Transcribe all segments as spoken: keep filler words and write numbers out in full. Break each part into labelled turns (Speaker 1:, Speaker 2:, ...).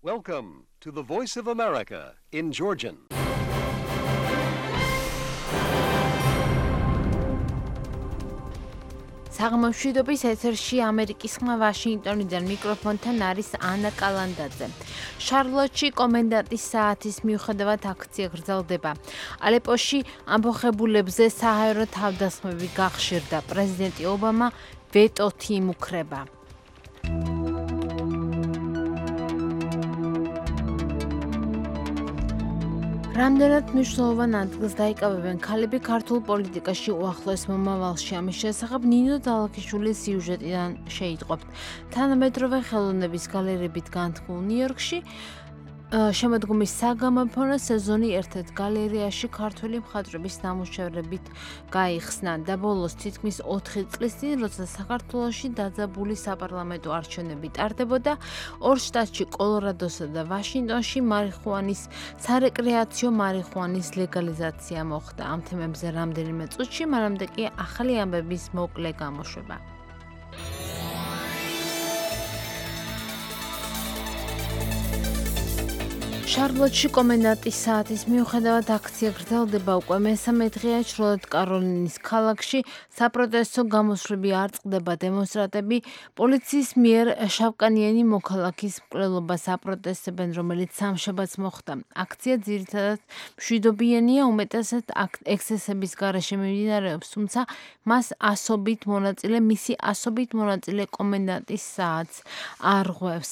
Speaker 1: Welcome to the Voice of America in Georgian.
Speaker 2: საღამოშვიდობის ეთერში ამერიკის ხმა ვაშინგტონიდან მიკროფონთან არის ანა კალანდაძე. შარლოტში კომენდანტის საათის მიუხედავად აქცია გრძელდება. ალეპოში ამბოხებულებზე საჰაერო თავდასხმები გახშირდა. პრეზიდენტი ობამა ვეტოთ იმუქრება. რამდენად მნიშვნელოვან ადგილს დაიკავებენ ქალები ქართულ პოლიტიკაში უახლოეს მომავალში. ამის შესახებ ნინო დალაქიშვილის სიუჟეტიდან შეიტყობთ. თანამედროვე ხელოვნების გალერეებით განთქმულ ნიუ-იორკში შემოდგომის საგამოფენო სეზონი ერთ-ერთ გალერეაში ქართველი მხატვრების ნამუშევრებით გაიხსნა და ბოლოს თითქმის ოთხი წლის წინ, როცა საქართველოში დაძაბული საპარლამენტო არჩევნები ტარდებოდა, ორ შტატში, კოლორადოსა და ვაშინგტონში მარიხუანის სარეკრეაციო მარიხუანის ლეგალიზაცია მოხდა. ამ თემებზე რამდენიმე წუთში, მანამდე კი ახალი ამბების მოკლე გამოშვება. შარლოტში კომენდანტის საათის მიუხედავად აქცია გრძელდება უკვე მესამე დღეა ჩრდილოეთ კაროლინის ქალაქში. საპროტესტო გამოსვლები არ წყდება. დემონსტრანტები პოლიციის მიერ შავკანიანი მოქალაქის მკვლელობას აპროტესტებენ, რომელიც სამშაბათს მოხდა. აქცია ძირითადად მშვიდობიანია, უმეტესად ექსცესების გარეშე მიმდინარეობს, თუმცა მას ასობით მონაწილე, მისი ასობით მონაწილე კომენდანტის საათს არ ღვევს.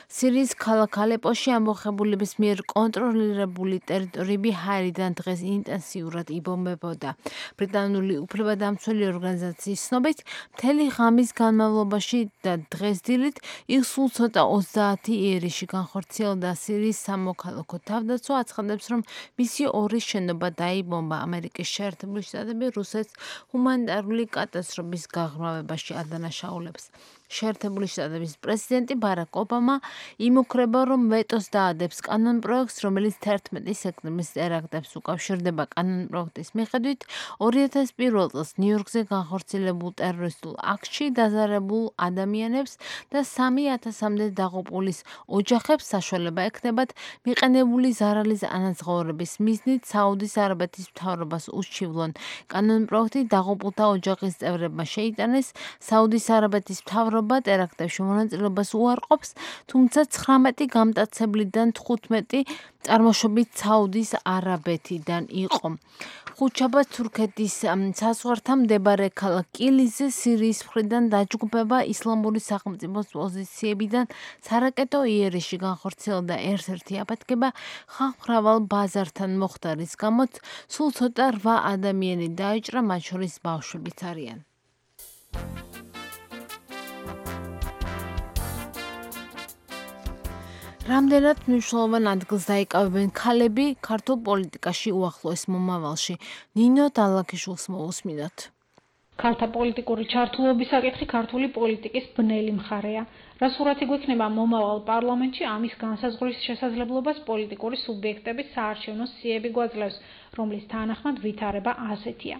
Speaker 2: სირიის ქალაქ ალეპოში ამბოხებულების მიერ კონტროლირებული ტერიტორიები ჰაერიდან დღეს ინტენსიურად იბომბებოდა. ბრიტანული უფლებადამცველი ორგანიზაციის ცნობით, მთელი ღამის განმავლობაში და დღეს დილით იქ სულ ცოტა ოცდაათი იერიში განხორციელდა. სირიის სამოქალაქო თავდაცვა აცხადებს, რომ მისი ორი შენობა დაიბომბა. ამერიკის შეერთებული შტატები რუსეთს ჰუმანიტარული კატასტროფის გაღრმავებაში ადანაშაულებს. შეერთებული შტატების პრეზიდენტი ბარაკ ობამა იმუქრება, რომ ვეტოს დაადებს კანონპროექტს, რომელიც თერთმეტი სექტემბრის ტერაქტებს უკავშირდება. კანონპროექტის მიხედვით, ორი ათას პირველ წელს ნიუ-იორკზე განხორციელებულ ტერორისტულ აქტში დაზარებულ ადამიანებს და სამი ათასამდე დაღუპულის ოჯახებს საშუალება ექნებათ მიყენებული ზარალის ანაზღაურების მიზნით საუდის არაბეთის მთავრობას უშჩივლონ. კანონპროექტი დაღუპულთა ოჯახის წევრებმა შეიტანეს. საუდის არაბეთის მთავრობა ტერაქტებში მონაწილეობას უარყოფს, თუმცა ცხრამეტი გამტაცებლიდან თხუთმეტი წარმოშობით საუდის არაბეთიდან იყო. ხუთშაბათს თურქეთის საზღვართან მდებარე ქალაქ კილიზზე სირიის მხრიდან დაჯგუფება ისლამური სახელმწიფოს პოზიციებიდან სარაკეტო იერიში განხორციელდა ერთ-ერთი აფეთქება ხალხმრავალ ბაზართან მოხდა, რის გამოც სულ ცოტა რვა ადამიანი დაიჭრა, მათ შორის ბავშვებიც არიან. რამდენად მნიშვნელოვან ადგილს დაიკავებენ ქალები ქართულ პოლიტიკაში უახლოეს მომავალში. ნინო დალაქიშვილს მოусმინოთ.
Speaker 3: ქალთა პოლიტიკური ჩართულობის საკითხი ქართული პოლიტიკის ბნელი მხარეა. რა სურათი გვექნება მომავალ პარლამენტში, ამის განსაზღვრის შესაძლებლობას პოლიტიკური სუბიექტების საარჩევნო სიები გვაძლევს, რომლის თანახმად ვითარება ასეთია.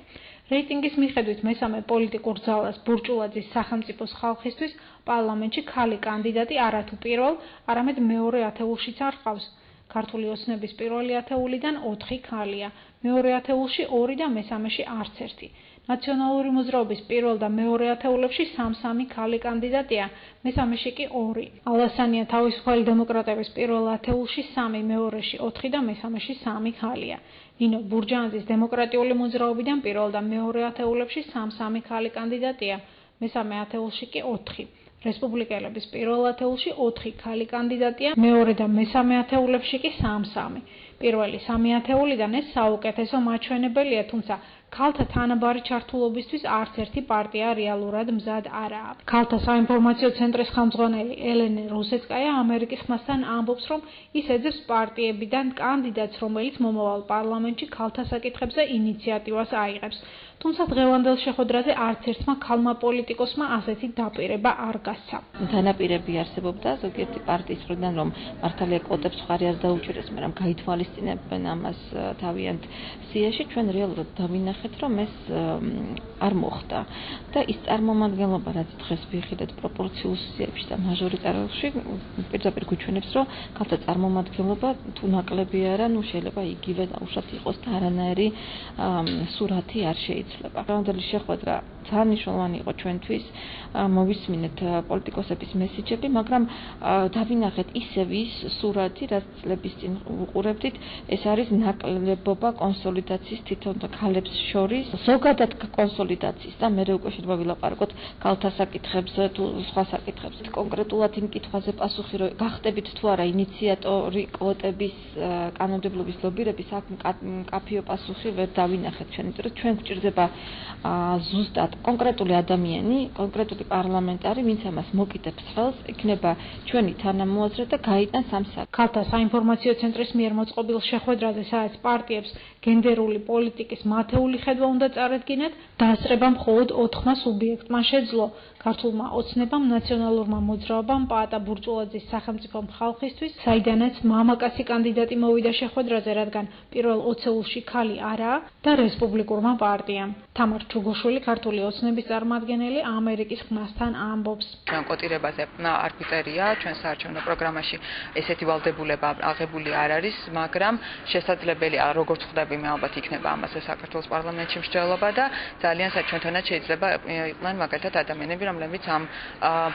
Speaker 3: რეიტინგის მიხედვით მესამე პოლიტიკურ ძალას ბურჭულაძის სახელმწიფოს ხალხისთვის პარლამენტში ქალი კანდიდატი არათუ პირველ, არამედ მეორე ათეულშიც არ ჰყავს. ქართული ოცნების პირველი ათეულიდან ოთხი ქალია, მეორე ათეულში ორი და მესამეში არც ერთი. ნაციონალური მოძრაობის პირველ და მეორე ათეულებში სამ-სამი ქალი კანდიდატია, მესამეში კი ორი. ალასანია თავისუფალი დემოკრატების პირველ ათეულში სამი, მეორეში ოთხი და მესამეში სამი ქალია. ნინო ბურჯანაძის დემოკრატიული მოძრაობიდან პირველ და მეორე ათეულებში სამ-სამი ქალი კანდიდატია, მესამე ათეულში კი ოთხი. რესპუბლიკელების პირველ ათეულში ოთხი ქალი კანდიდატია, მეორე და მესამე ათეულებში კი სამ-სამი. პირველი სამი ათეულიდან ეს საუკეთესო მაჩვენებელია, თუმცა ქალთა თანაბარი ჩართულობისთვის არც ერთი პარტია რეალურად მზად არაა. ქალთა საინფორმაციო ცენტრის ხელმძღვანელი ელენე რუსეცკაია ამერიკის ხმასთან ამბობს, რომ ის ეძებს პარტიებიდან კანდიდატს, რომელიც მომავალ პარლამენტში ქალთა საკითხებზე ინიციატივას აიღებს. თუმცა დღევანდელ შეხვედრაზე არც ერთმა ქალმა პოლიტიკოსმა ასეთი დაპირება არ გასცა.
Speaker 4: დანაპირები არსებობდა ზოგიერთი პარტიის მხრიდან, რომ მართალია კვოტებს მხარი არ დაუჭირეს, მაგრამ გაითვალისწინეს აღესწინებენ ამას თავიანთ სიაში, ჩვენ რეალურად დავინახეთ, რომ ეს არ მოხდა და ის წარმომადგენლობა, რაც დღეს ვიხილეთ პროპორციულ სიებში და მაჟორიტარებში, პირდაპირ გვიჩვენებს, რომ ქალთა წარმომადგენლობა თუ ნაკლები არა, ну შეიძლება იგივე დაუშვათ იყოს და არანაირი სურათი არ შეიძლება. დღევანდელი შეხვედრა ძალიან მნიშვნელოვანი იყო ჩვენთვის, მოვისმინეთ პოლიტიკოსების მესიჯები, მაგრამ დავინახეთ ისევ ის სურათი, რაც წლების წინ ვუყურებდით, ეს არის ნაკლებობა კონსოლიდაციის თვითონ ქალებს შორის, ზოგადად კონსოლიდაციის და მე უკვე შეიძლება ვილაპარაკოთ ქალთა საკითხებზე თუ სხვა საკითხებზე. კონკრეტულად იმ კითხვაზე პასუხი რომ გახდებით თუ არა ინიციატორი კვოტების კანონმდებლობის ლობირების, აქ მკაფიო პასუხი ვერ დავინახეთ ჩვენ, იმიტომ რომ ჩვენ გვჭირდება ზუსტად კონკრეტული ადამიანი, კონკრეტული პარლამენტარი, ვინც ამას მოკიდებს ხელს, იქნება ჩვენი თანამოაზრე და გაიტანს ამ საკითხს.
Speaker 3: ქალთა საინფორმაციო ცენტრის მიერ მოწყობილ შეხვედრაზე, სადაც პარტიებს გენდერული პოლიტიკის მათეული ხედვა უნდა წარადგინათ, დაასწრება მხოლოდ ოთხმა სუბიექტმა შეძლო. ქართულმა ოცნებამ, ნაციონალურმა მოძრაობამ, პაატა ბურჭულაძის სახელმწიფომ ხალხისთვის, საიდანაც მამაკაცი კანდიდატი მოვიდა შეხვედრაზე, რადგან პირველ ოცეულში ქალი არაა და რესპუბლიკურმა პარტიამ. თამარ ჩუგოშვილი, ქართული ოცნების წარმომადგენელი, ამერიკის ხმასთან ამბობს.
Speaker 5: ჩვენ კოტირებაზე არ გვიწერია, ჩვენ საარჩევნო პროგრამაში ესეთი ვალდებულება აღებული არ არის, მაგრამ შესაძლებელია, როგორც ხვდები, მე ალბათ იქნება ამაზე საქართველოს პარლამენტში მსჯელობა და ძალიან საჩვენთონად შეიძლება იყვნენ მაგალითად ადამიანები, რომლებიც ამ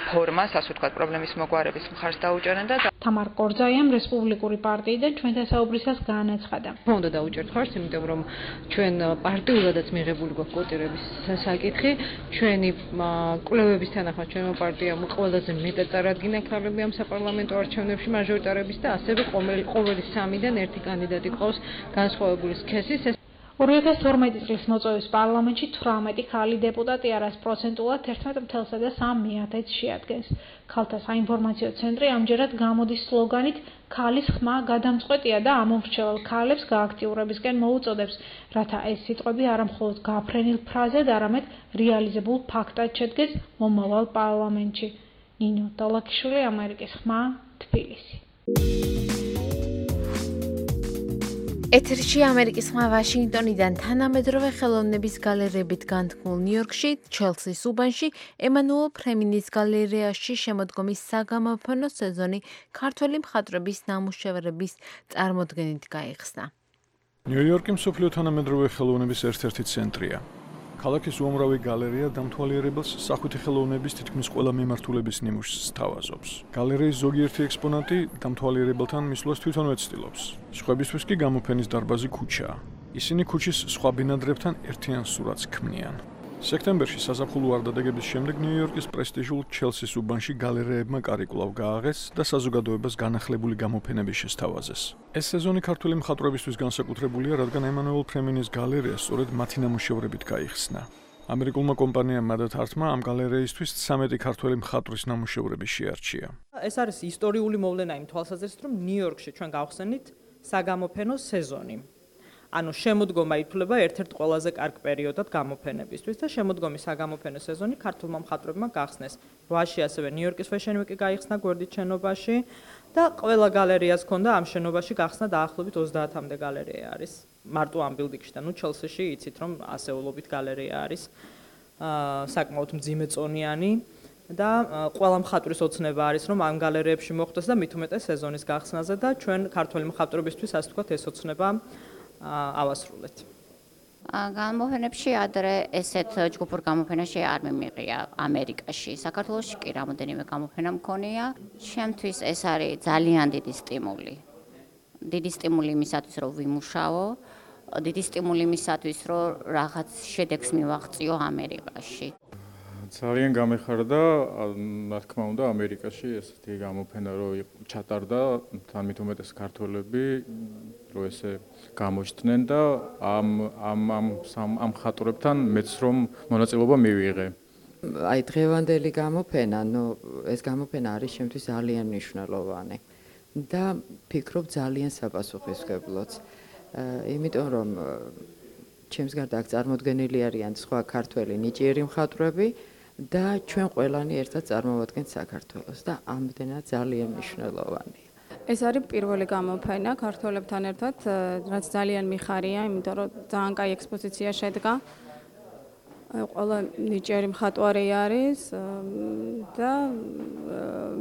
Speaker 5: ფორმას, ასე ვთქვათ, პრობლემის მოგვარების მხარს დაუჭერენ და
Speaker 3: თამარ კორძაიამ რესპუბლიკური პარტიიდან ჩვენთან საუბრისას განაცხადა.
Speaker 6: უნდა დაუჭერთ ხარს, იმიტომ რომ ჩვენ პარტიულადაც მიღებული გვაქვს კოტირების საკითხი, ჩვენი კვლევების თანახმად ჩვენმა პარტიამ ყველაზე მეტად წარადგინა ქალები ამ საპარლამენტო არჩევნებში მაჟორიტარების და ასევე ყოველი სამიდან ერთი კანდიდატი ყავს განსხვავებული სქესის.
Speaker 3: ორი ათას თორმეტი წლის მოწვევის პარლამენტში თვრამეტი ქალი დეპუტატი არის პროცენტულად ერთმეტ ათასსა სამს მიათს შეადგენს. ქალთა საინფორმაციო ცენტრი ამჯერად გამოდის სლოგანით ქალის ხმა გადამწყვეტია და ამომრჩეველ ქალებს გააქტიურებისკენ მოუწოდებს, რათა ეს სიტყვები არა მხოლოდ გაფრენილ ფრაზად, არამედ რეალიზებულ ფაქტად შედგეს მომავალ პარლამენტში. ნინო დალაქიშვილი, ამერიკის ხმა, თბილისი.
Speaker 2: ეთერში ამერიკის ხმა ვაშინგტონიდან თანამედროვე ხელოვნების გალერეებით განთქმულ ნიუ-იორკში, ჩელსის უბანში, ემანუელ ფრემინის გალერეაში შემოდგომის საგამოფენო სეზონი ქართველი მხატვრების ნამუშევრების წარმოდგენით გაიხსნა.
Speaker 7: ნიუ-იორკი მსოფლიო თანამედროვე ხელოვნების ერთ-ერთი ცენტრია. ქალაქის უამრავი გალერეა დამთვალიერებელს სახვითი ხელოვნების თითქმის ყველა მიმართულების ნიმუშს სთავაზობს. გალერეის ზოგიერთი ექსპონატი დამთვალიერებელთან მისვლას თვითონვე ცდილობს. სხვებისთვის კი გამოფენის დარბაზი ქუჩაა. ისინი ქუჩის სხვა ბინადრებთან ერთიან სურათს ქმნიან. სექტემბერში საზაფხულო არდადეგების შემდეგ ნიუ-იორკის პრესტიჟულ ჩელსის უბანში გალერეებმა კარი კვლავ გააღეს და საზოგადოებას განახლებული გამოფენები შესთავაზეს. ეს სეზონი ქართველი მხატვრებისთვის განსაკუთრებულია, რადგან ემანუელ ფრემინის გალერეა სწორედ მათი ნამუშევრებით გაიხსნა. ამერიკულმა კომპანიამ მადათ არტმა ამ გალერეისთვის ცამეტი ქართველი მხატვრის ნამუშევრები შეარჩია.
Speaker 8: ეს არის ისტორიული მოვლენა იმ თვალსაზრისით, რომ ნიუ-იორკში ჩვენ გავხსენით საგამოფენო სეზონი. ანუ შემოდგომა ითვლება ერთ-ერთ ყველაზე კარგ პერიოდად გამოფენებისთვის და შემოდგომის საგამოფენო სეზონი ქართულმა მხატვრებმა გახსნეს. რვაში ასევე ნიუ-იორკის Fashion Week-ი გაიხსნა გვერდით შენობაში და ყველა გალერეას ჰქონდა ამ შენობაში გახსნა დაახლოებით ოცდაათამდე გალერეა არის. მარტო ამ ბილდინგში და ნუ ჩელსიში იცით რომ ასეულობით გალერეა არის. აა საკმაოდ მძიმე წონიანი და ყველა მხატვრის ოცნება არის რომ ამ გალერეებში მოხვდეს და მით უმეტეს სეზონის გახსნაზე და ჩვენ ქართველი მხატვრებისთვის ასე ვთქვათ ეს ოცნება ავასრულეთ.
Speaker 9: გამოფენებში ადრე ესეთ ჯგუფურ გამოფენაში არ მიმიღია ამერიკაში. საქართველოში კი რამოდენიმე გამოფენა მქონია. ჩემთვის ეს არის ძალიან დიდი სტიმული. დიდი სტიმული იმისათვის, რომ ვიმუშაო, დიდი სტიმული იმისათვის, რომ რაღაც შედეგს მივაღწიო ამერიკაში.
Speaker 10: ძალიან გამეხარდა, რა თქმა უნდა, ამერიკაში ესეთი გამოფენა რო ჩატარდა, თან მით უმეტეს ქართველები რო ესე გამოჩნდნენ და ამ ამ ამ ამ ხატრებთან მეც რომ მონაწილეობა მივიღე.
Speaker 11: აი დღევანდელი გამოფენა, ნუ ეს გამოფენა არის შემთთვის ძალიან მნიშვნელოვანი და ფიქრობ ძალიან საპასუხისმგებლოც. იმიტომ რომ ჩემს გარდა აქ წარმოდგენილი არიან სხვა ქართველი ნიჭიერი მხატვრები და ჩვენ ყველანი ერთად წარმოვადგენთ საქართველოს და ამდენად ძალიან მნიშვნელოვანია.
Speaker 12: ეს არის პირველი გამოფენა ქართველებთან ერთად, რაც ძალიან მიხარია, იმიტომ რომ ძალიან კაი ექსპოზიცია შედგა. ყველა ნიჭიერი მხატვარი არის და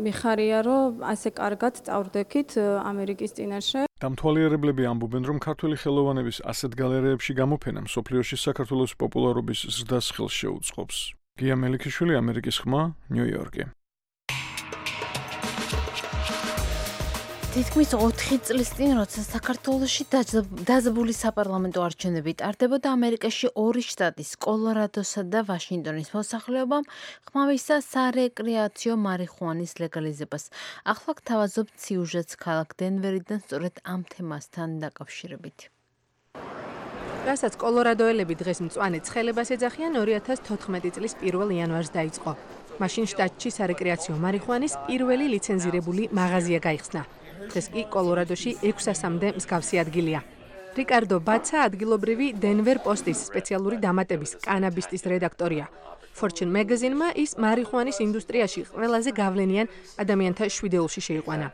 Speaker 12: მიხარია, რომ ასე კარგად წავდექით ამერიკის წინაშე.
Speaker 7: დამთვალიერებლები ამბობენ, რომ ქართველი ხელოვანების ასეთ გალერეებში გამოფენა მსოფლიოში საქართველოს პოპულარობის ზრდას ხელს შეუწყობს. გია მელიქიშვილი, ამერიკის ხმა, ნიუ-იორკი.
Speaker 2: თითქმის ოთხი წლის წინ, როცა საქართველოში დაძაბული საპარლამენტო არჩევნები ტარდებოდა, ამერიკაში ორი შტატის, კოლორადოსა და ვაშინგტონის მოსახლეობამ ხმავისა სარეკრეაციო მარიხუანის ლეგალიზებას. ახლა გთავაზობთ სიუჟეტს ქალაქ დენვერიდან სწორედ ამ თემასთან დაკავშირებით.
Speaker 13: რასაც კოლორადოელები დღეს მწვანე ცხელებას ეძახიან, ორი ათას თოთხმეტი წლის პირველ იანვარს დაიწყო. მაშინ შტატში სარეკრეაციო მარიხუანის პირველი ლიცენზირებული მაღაზია გაიხსნა. დღეს კი კოლორადოში ექვსასამდე მსგავსი ადგილია. რიკარდო ბაცა ადგილობრივი დენვერ პოსტის სპეციალური დამატების კანაბისტის რედაქტორია. Fortune Magazine-მა ის მარიხუანის ინდუსტრიაში ყველაზე გავლენიან ადამიანთა შვიდეულში შეიყვანა.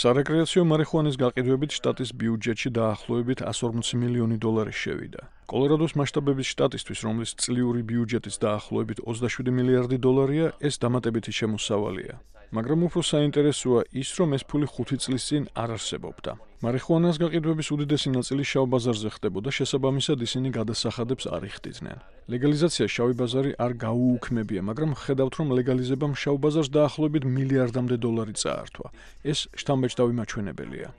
Speaker 7: სარეკრეაციო მარიხუანის გაყიდვებით შტატის ბიუჯეტში დაახლოებით εκατი ორმოცი მილიონი დოლარი შევიდა. კოლორადოს მასშტაბების შტატისთვის, რომლის წლიური ბიუჯეტიც დაახლოებით ოცდაშვიდი მილიარდი დოლარია, ეს დამატებითი შემოსავალია. მაგრამ უფრო საინტერესოა ის, რომ ეს ფული ხუთი წლის წინ არ არსებობდა. მარიხუანას გაყიდვების უდიდესი ნაწილი შავ ბაზარზე ხდებოდა, შესაბამისად ისინი გადასახადებს არ იხდიდნენ. ლეგალიზაცია შავი ბაზარი არ გაუუქმებია, მაგრამ ხედავთ, რომ ლეგალიზებამ შავ ბაზარს დაახლოებით მილიარდამდე დოლარი წაართვა. ეს შთამბეჭდავი მაჩვენებელია.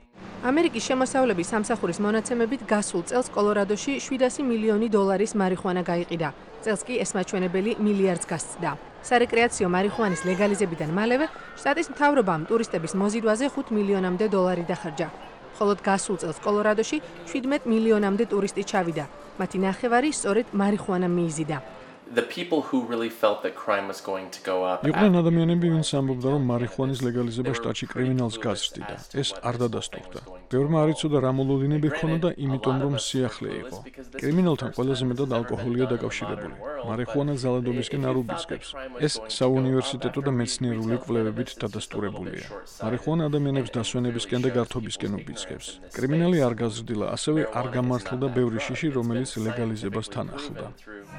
Speaker 13: ამერიკის შემოსავლების სამსახურის მონაცემებით გასულ წელს კოლორადოში შვიდასი მილიონი დოლარის მარიხუანა გაიყიდა. წელს კი ეს მაჩვენებელი მილიარდს გასცდა. სარეკრეაციო მარიხუანის ლეგალიზებიდან მალევე შტატის მთავრობამ ტურისტების მოზიდვაზე ხუთ მილიონამდე დოლარი დახარჯა. ხოლო გასულ წელს კოლორადოში შვიდმეტ მილიონამდე ტურისტი ჩავიდა. მათი ნახევარი სწორედ მარიხუანა მიიზიდა.
Speaker 7: იყვნენ ადამიანები, ვინც ამბობდა, რომ მარიხუანის ლეგალიზება შტატში კრიმინალს გაზრდიდა. ეს არ დადასტურდა. ბევრმა არ იცოდა რა მოლოდინები ჰქონოდა, იმიტომ რომ სიახლე იყო. კრიმინალთან ყველაზე მეტად ალკოჰოლია დაკავშირებული. მარიხუანა ძალადობისკენ არ უბიძგებს. ეს საუნივერსიტეტო და მეცნიერული კვლევებით დადასტურებულია. მარიხუანა ადამიანებს დასვენებისკენ და გართობისკენ უბიძგებს. კრიმინალი არ გაზრდილა, ასევე არ გამართლდა ბევრი შიში, რომელიც ლეგალიზებას თან ახლდა.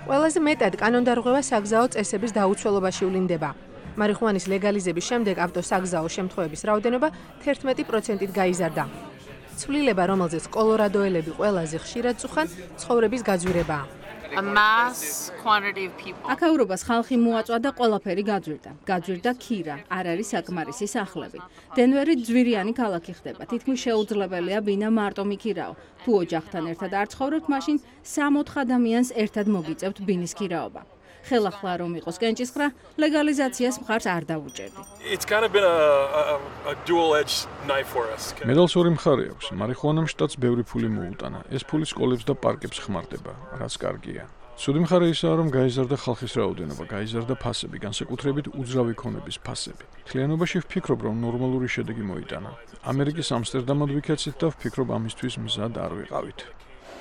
Speaker 13: ყველაზე მეტად კანონდარღვევა საგზაო წესების დაუცველობაში ვლინდება. მარიხუანის ლეგალიზების შემდეგ ავტოსაგზაო შემთხვევების რაოდენობა თერთმეტი პროცენტით გაიზარდა. ცვლილება, რომელზეც კოლორადოელები ყველაზე ხშირად წუხან, ცხოვრების გაძვირებაა.
Speaker 14: აქაურობას ხალხი მოაწვა და ყველაფერი გაძვირდა. გაძვირდა ქირა, არ არის საკმარისი სახლები. დენვერი ძვირიანი ქალაქი ხდება. თითქმის შეუძლებელია ბინა მარტო მიქირაო. თუ ოჯახთან ერთად არ ცხოვრობთ, მაშინ სამ-ოთხ ადამიანს ერთად მოგიწევთ ბინის ქირაობა. ხელახლა რომ იყოს კენჭისყრა, ლეგალიზაციას მხარს არ დაუჭერდი.
Speaker 7: მედალს ორი მხარე აქვს. მარიხუანამ შტატს ბევრი ფული მოუტანა. ეს ფული სკოლებს და პარკებს ხმარდება, რაც კარგია. ცუდი მხარე ისაა, რომ გაიზარდა ხალხის რაოდენობა, გაიზარდა ფასები, განსაკუთრებით უძრავი ქონების ფასები. მთლიანობაში ვფიქრობ, რომ ნორმალური შედეგი მოიტანა. ამერიკის ამსტერდამად ვიქეცით და ვფიქრობ, ამისთვის მზად არ ვიყავით.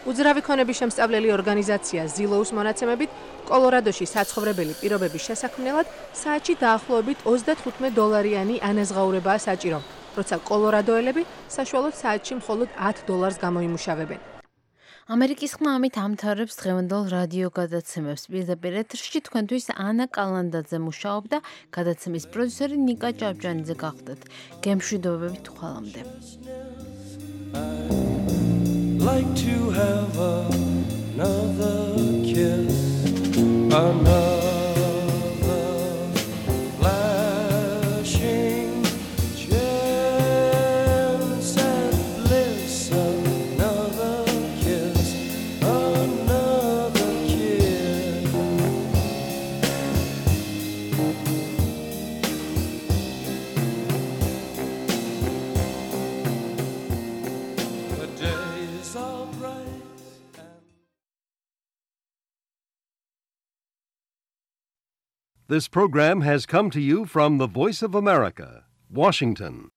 Speaker 13: უძრავი ქონების შემსწავლელი ორგანიზაცია ზილოუს მონაცემებით, კოლორადოში საცხოვრებელი პირობების შესაქმნელად საათში დაახლოებით ოცდათხუთმეტ დოლარიანი ანაზღაურებაა საჭირო, როცა კოლორადოელები საშუალოდ საათში მხოლოდ ათ დოლარს გამოიმუშავებენ.
Speaker 2: ამერიკის ხმა ამით ამთავრებს დღევანდელ რადიო გადაცემებს. პირდაპირ ეთერში თქვენთვის ანა კალანდაძე მუშაობდა, გადაცემის პროდიუსერი ნიკა ჭავჭანიძე გახდათ. გემშვიდობებით ხვალამდე.
Speaker 15: Like to have another kiss, another flashing chance and bliss, another kiss, another kiss. The days are bright.
Speaker 1: This program has come to you from the Voice of America, Washington.